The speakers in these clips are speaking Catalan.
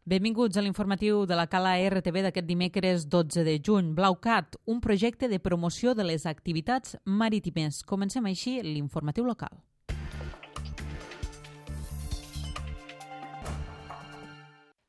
Benvinguts a l'informatiu de la Cala RTV d'aquest dimecres 12 de juny. BlauCat, un projecte de promoció de les activitats marítimes. Comencem així l'informatiu local.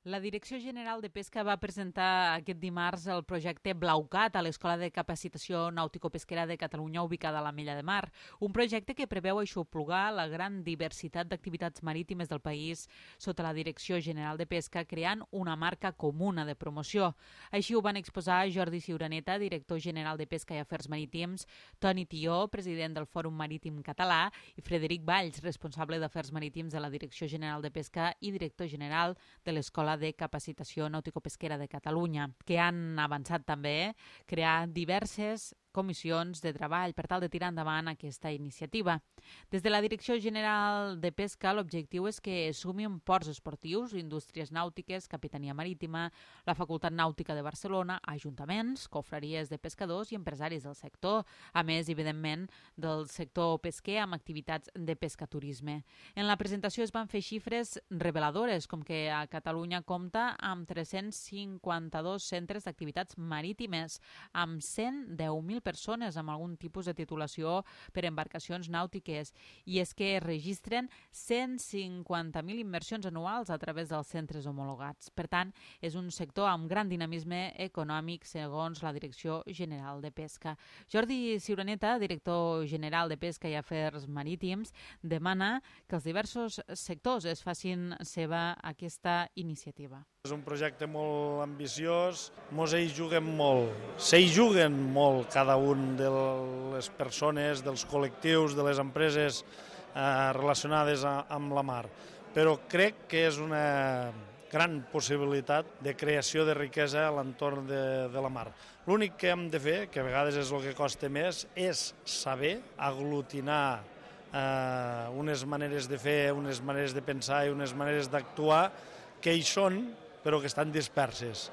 La Direcció General de Pesca va presentar aquest dimarts el projecte BlauCat a l'Escola de Capacitació Nàutico-Pesquera de Catalunya ubicada a la Mella de Mar, un projecte que preveu aixoplugar la gran diversitat d'activitats marítimes del país sota la Direcció General de Pesca, creant una marca comuna de promoció. Així ho van exposar Jordi Ciuraneta, director general de Pesca i Afers Marítims, Toni Tió, president del Fòrum Marítim Català, i Frederic Valls, responsable d'Afers Marítims de la Direcció General de Pesca i director general de l'Escola de Capacitació Nàutico-Pesquera de Catalunya, que han avançat també crear diverses comissions de treball per tal de tirar endavant aquesta iniciativa. Des de la Direcció General de Pesca, l'objectiu és que sumin ports esportius, indústries nàutiques, capitania marítima, la Facultat Nàutica de Barcelona, ajuntaments, confraries de pescadors i empresaris del sector, a més, evidentment, del sector pesquer amb activitats de pescaturisme. En la presentació es van fer xifres reveladores, com que a Catalunya compta amb 352 centres d'activitats marítimes, amb 110.000 persones amb algun tipus de titulació per embarcacions nàutiques, i és que es registren 150.000 inversions anuals a través dels centres homologats. Per tant, és un sector amb gran dinamisme econòmic segons la Direcció General de Pesca. Jordi Ciuraneta, director general de Pesca i Afers Marítims, demana que els diversos sectors es facin seva aquesta iniciativa. És un projecte molt ambiciós, mos hi juguem molt, s'hi juguen molt cada un de les persones, dels col·lectius, de les empreses relacionades amb la mar, però crec que és una gran possibilitat de creació de riquesa a l'entorn de la mar. L'únic que hem de fer, que a vegades és el que costa més, és saber aglutinar unes maneres de fer, unes maneres de pensar i unes maneres d'actuar que hi són, però que estan disperses.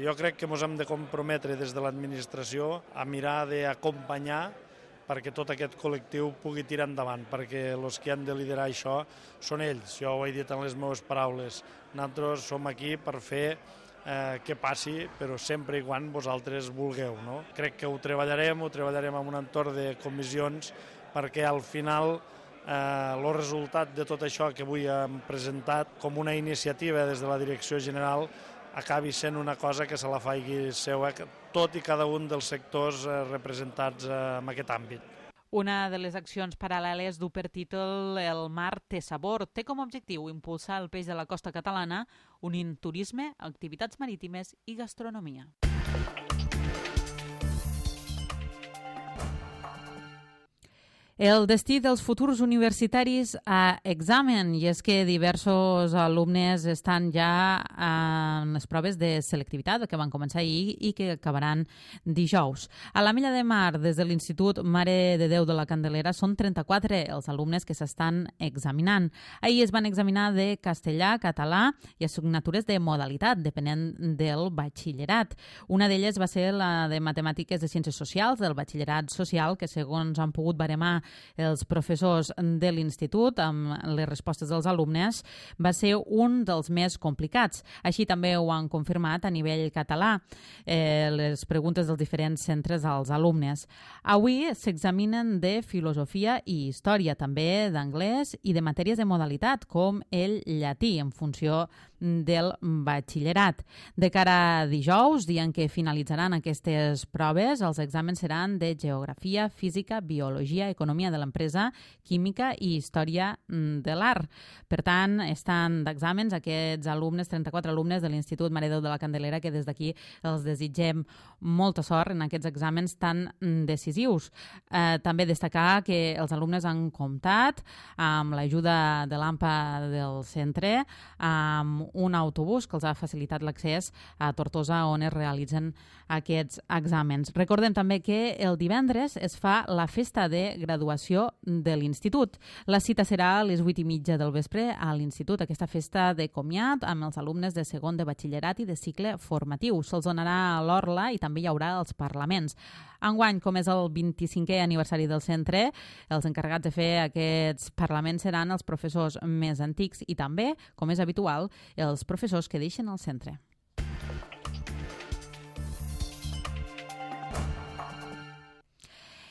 Jo crec que ens hem de comprometre des de l'administració a mirar d'acompanyar perquè tot aquest col·lectiu pugui tirar endavant, perquè els que han de liderar això són ells. Jo ho he dit en les meves paraules. Nosaltres som aquí per fer que passi, però sempre i quan vosaltres vulgueu. No? Crec que ho treballarem en un entorn de comissions perquè al final el resultat de tot això que avui hem presentat com una iniciativa des de la Direcció General acabi sent una cosa que se la faci seua tot i cada un dels sectors representats en aquest àmbit. Una de les accions paral·leles du per títol El mar té sabor. Té com a objectiu impulsar el peix de la costa catalana unint turisme, activitats marítimes i gastronomia. El destí dels futurs universitaris a examen, i és que diversos alumnes estan ja en les proves de selectivitat que van començar ahir i que acabaran dijous. A la Mella de Mar, des de l'Institut Mare de Déu de la Candelera, són 34 els alumnes que s'estan examinant. Ahir es van examinar de castellà, català i assignatures de modalitat, depenent del batxillerat. Una d'elles va ser la de Matemàtiques de Ciències Socials, del batxillerat social, que segons han pogut baremar els professors de l'institut amb les respostes dels alumnes, va ser un dels més complicats. Així també ho han confirmat a nivell català les preguntes dels diferents centres als alumnes. Avui s'examinen de filosofia i història, també d'anglès i de matèries de modalitat, com el llatí, en funció del batxillerat. De cara a dijous, dia en què finalitzaran aquestes proves, els exàmens seran de geografia, física, biologia, economia de l'empresa, química i història de l'art. Per tant, estan d'exàmens aquests alumnes, 34 alumnes de l'Institut Mare de Déu de la Candelera, que des d'aquí els desitgem molta sort en aquests exàmens tan decisius. També destacar que els alumnes han comptat amb l'ajuda de l'AMPA del centre, amb un autobús que els ha facilitat l'accés a Tortosa, on es realitzen aquests exàmens. Recordem també que el divendres es fa la festa de graduació de l'institut. La cita serà a les 8:30 del vespre a l'institut, aquesta festa de comiat amb els alumnes de segon de batxillerat i de cicle formatiu. Se'ls donarà a l'orla i també hi haurà els parlaments. Enguany, com és el 25è aniversari del centre, els encarregats de fer aquests parlaments seran els professors més antics i també, com és habitual, els professors que deixen el centre.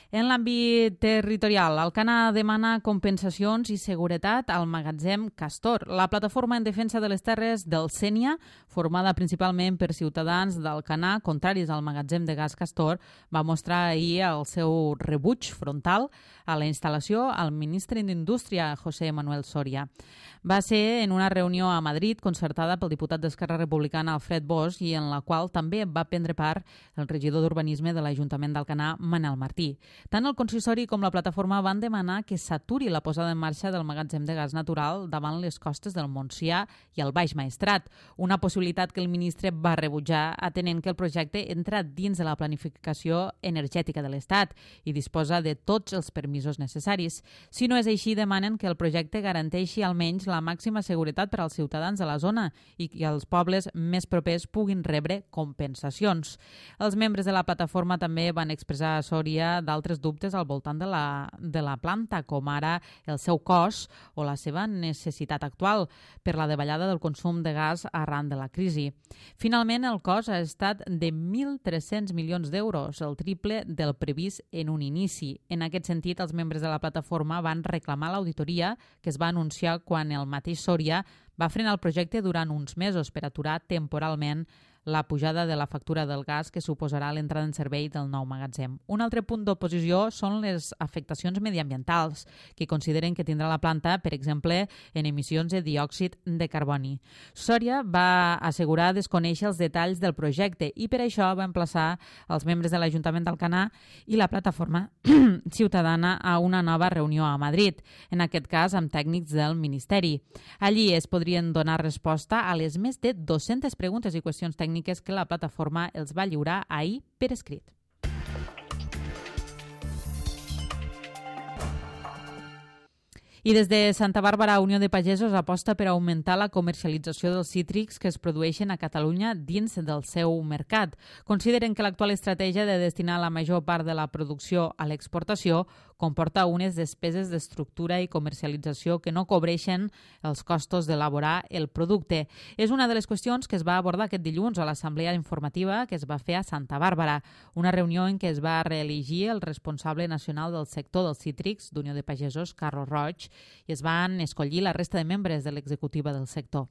En l'àmbit territorial, Alcanar demana compensacions i seguretat al magatzem Castor. La plataforma en defensa de les terres del Sénia, formada principalment per ciutadans d'Alcanar, contraris al magatzem de gas Castor, va mostrar ahir el seu rebuig frontal a la instal·lació al ministre d'Indústria, José Manuel Soria. Va ser en una reunió a Madrid concertada pel diputat d'Esquerra Republicana Alfred Bosch i en la qual també va prendre part el regidor d'Urbanisme de l'Ajuntament d'Alcanar, Manel Martí. Tant el consistori com la plataforma van demanar que s'aturi la posada en marxa del magatzem de gas natural davant les costes del Montsià i el Baix Maestrat, una possibilitat que el ministre va rebutjar atenent que el projecte entra dins de la planificació energètica de l'Estat i disposa de tots els permisos necessaris. Si no és així, demanen que el projecte garanteixi almenys la màxima seguretat per als ciutadans de la zona i que els pobles més propers puguin rebre compensacions. Els membres de la plataforma també van expressar a Sòria d'altres dubtes al voltant de la planta, com ara el seu cost o la seva necessitat actual per la davallada del consum de gas arran de la crisi. Finalment, el cost ha estat de 1.300 milions d'euros, el triple del previst en un inici. En aquest sentit, els membres de la plataforma van reclamar l'auditoria que es va anunciar quan el mateix Sòria va frenar el projecte durant uns mesos per aturar temporalment la pujada de la factura del gas que suposarà l'entrada en servei del nou magatzem. Un altre punt d'oposició són les afectacions mediambientals que consideren que tindrà la planta, per exemple, en emissions de diòxid de carboni. Sòria va assegurar desconèixer els detalls del projecte i per això va emplaçar els membres de l'Ajuntament d'Alcanar i la plataforma ciutadana a una nova reunió a Madrid, en aquest cas amb tècnics del Ministeri. Allí es podrien donar resposta a les més de 200 preguntes i qüestions tècniques que la plataforma els va lliurar ahir per escrit. I des de Santa Bàrbara, Unió de Pagesos aposta per augmentar la comercialització dels cítrics que es produeixen a Catalunya dins del seu mercat. Consideren que l'actual estratègia de destinar la major part de la producció a l'exportació comporta unes despeses d'estructura i comercialització que no cobreixen els costos d'elaborar el producte. És una de les qüestions que es va abordar aquest dilluns a l'assemblea informativa que es va fer a Santa Bàrbara, una reunió en què es va reelegir el responsable nacional del sector dels cítrics d'Unió de Pagesos, Carlos Roig, i es van escollir la resta de membres de l'executiva del sector.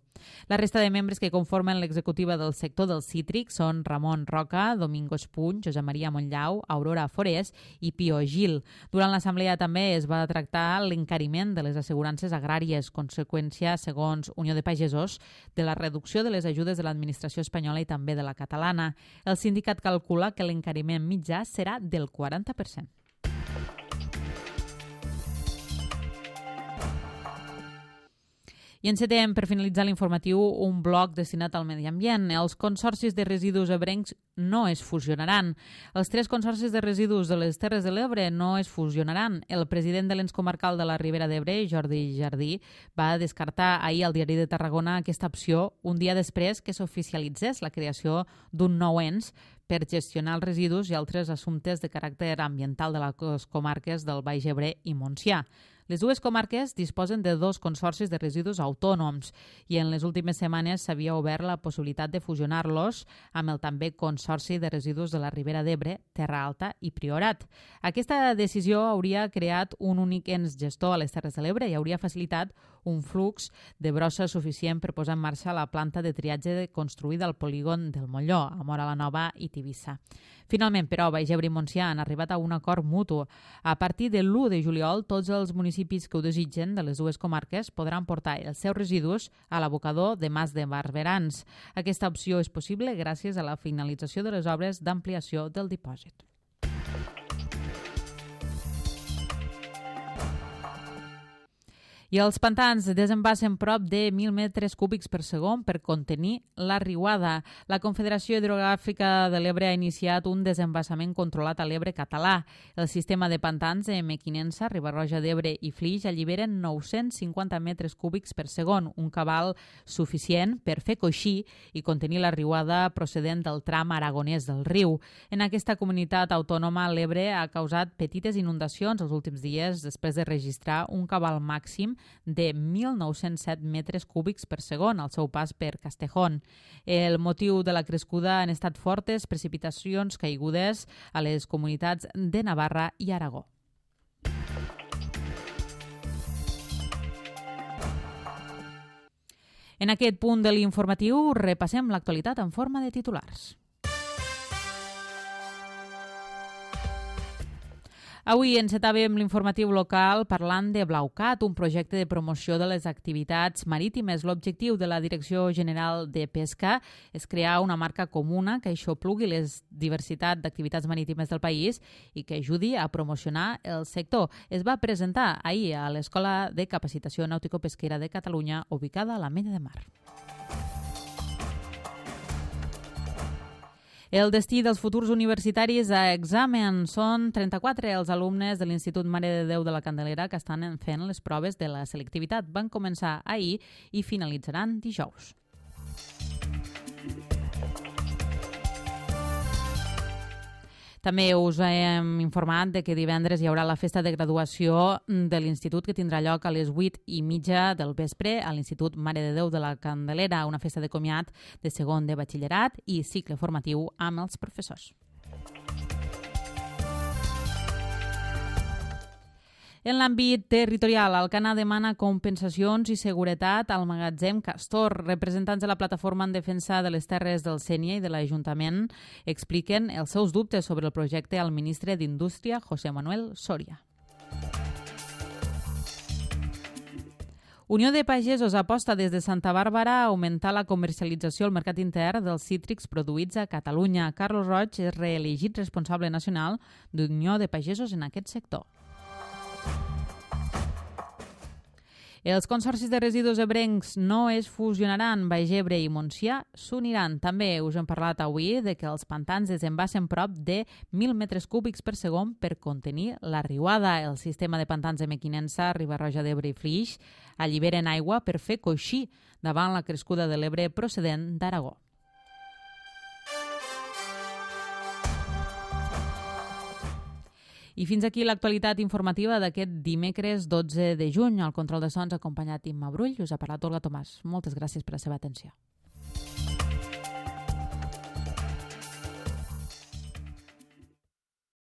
La resta de membres que conformen l'executiva del sector dels cítrics són Ramon Roca, Domingo Espuny, Josep Maria Montllau, Aurora Forés i Pio Gil. Durant l'assemblea també es va tractar l'encariment de les assegurances agràries, conseqüència, segons Unió de Pagesos, de la reducció de les ajudes de l'administració espanyola i també de la catalana. El sindicat calcula que l'encariment mitjà serà del 40%. I encetem, per finalitzar l'informatiu, un bloc destinat al medi ambient. Els consorcis de residus ebrencs no es fusionaran. Els 3 consorcis de residus de les Terres de l'Ebre no es fusionaran. El president de l'ens comarcal de la Ribera d'Ebre, Jordi Jardí, va descartar ahir al Diari de Tarragona aquesta opció un dia després que s'oficialitzés la creació d'un nou ens per gestionar els residus i altres assumptes de caràcter ambiental de les comarques del Baix Ebre i Montsià. Les dues comarques disposen de 2 consorcis de residus autònoms i en les últimes setmanes s'havia obert la possibilitat de fusionar-los amb el també Consorci de Residus de la Ribera d'Ebre, Terra Alta i Priorat. Aquesta decisió hauria creat un únic ens gestor a les Terres de l'Ebre i hauria facilitat un flux de brossa suficient per posar en marxa la planta de triatge construïda al polígon del Molló, a Móra la Nova i Tivissa. Finalment, però, Baix Ebre i Montsià han arribat a un acord mutu. A partir de l'1 de juliol, tots els municipis que ho desitgen de les dues comarques podran portar els seus residus a l'abocador de Mas de Barberans. Aquesta opció és possible gràcies a la finalització de les obres d'ampliació del dipòsit. I els pantans desembassen prop de 1.000 metres cúbics per segon per contenir la riuada. La Confederació Hidrogràfica de l'Ebre ha iniciat un desembassament controlat a l'Ebre català. El sistema de pantans de Mequinensa, Riba-roja d'Ebre i Flix alliberen 950 metres cúbics per segon, un cabal suficient per fer coixí i contenir la riuada procedent del tram aragonès del riu. En aquesta comunitat autònoma, l'Ebre ha causat petites inundacions els últims dies després de registrar un cabal màxim de 1.907 metres cúbics per segon al seu pas per Castejón. El motiu de la crescuda han estat fortes precipitacions caigudes a les comunitats de Navarra i Aragó. En aquest punt de l'informatiu repassem l'actualitat en forma de titulars. Avui encetàvem l'informatiu local parlant de Blaucat, un projecte de promoció de les activitats marítimes. L'objectiu de la Direcció General de Pesca és crear una marca comuna que aixoplugui les diversitat d'activitats marítimes del país i que ajudi a promocionar el sector. Es va presentar ahir a l'Escola de Capacitació Nàutico-Pesquera de Catalunya, ubicada a l'Ametlla de Mar. El destí dels futurs universitaris a examen són 34 els alumnes de l'Institut Mare de Déu de la Candelera que estan fent les proves de la selectivitat. Van començar ahir i finalitzaran dijous. També us hem informat de que divendres hi haurà la festa de graduació de l'Institut que tindrà lloc a les 8:30 del vespre a l'Institut Mare de Déu de la Candelera, una festa de comiat de segon de batxillerat i cicle formatiu amb els professors. En l'àmbit territorial, Alcanar demana compensacions i seguretat al magatzem Castor. Representants de la plataforma en defensa de les terres del Sénia i de l'Ajuntament expliquen els seus dubtes sobre el projecte al ministre d'Indústria, José Manuel Soria. Unió de Pagesos aposta des de Santa Bàrbara a augmentar la comercialització al mercat intern dels cítrics produïts a Catalunya. Carlos Roig és reelegit responsable nacional d'Unió de Pagesos en aquest sector. Els consorcis de residus ebrencs no es fusionaran, Baix Ebre i Montsià s'uniran. També us hem parlat avui de que els pantans desembassen prop de 1.000 metres cúbics per segon per contenir la riuada. El sistema de pantans de Mequinensa, Riba-roja d'Ebre i Flix alliberen aigua per fer coixí davant la crescuda de l'Ebre procedent d'Aragó. I fins aquí l'actualitat informativa d'aquest dimecres 12 de juny. Al control de sons acompanyat Imma Brull. Us ha parlat Olga Tomàs. Moltes gràcies per la seva atenció.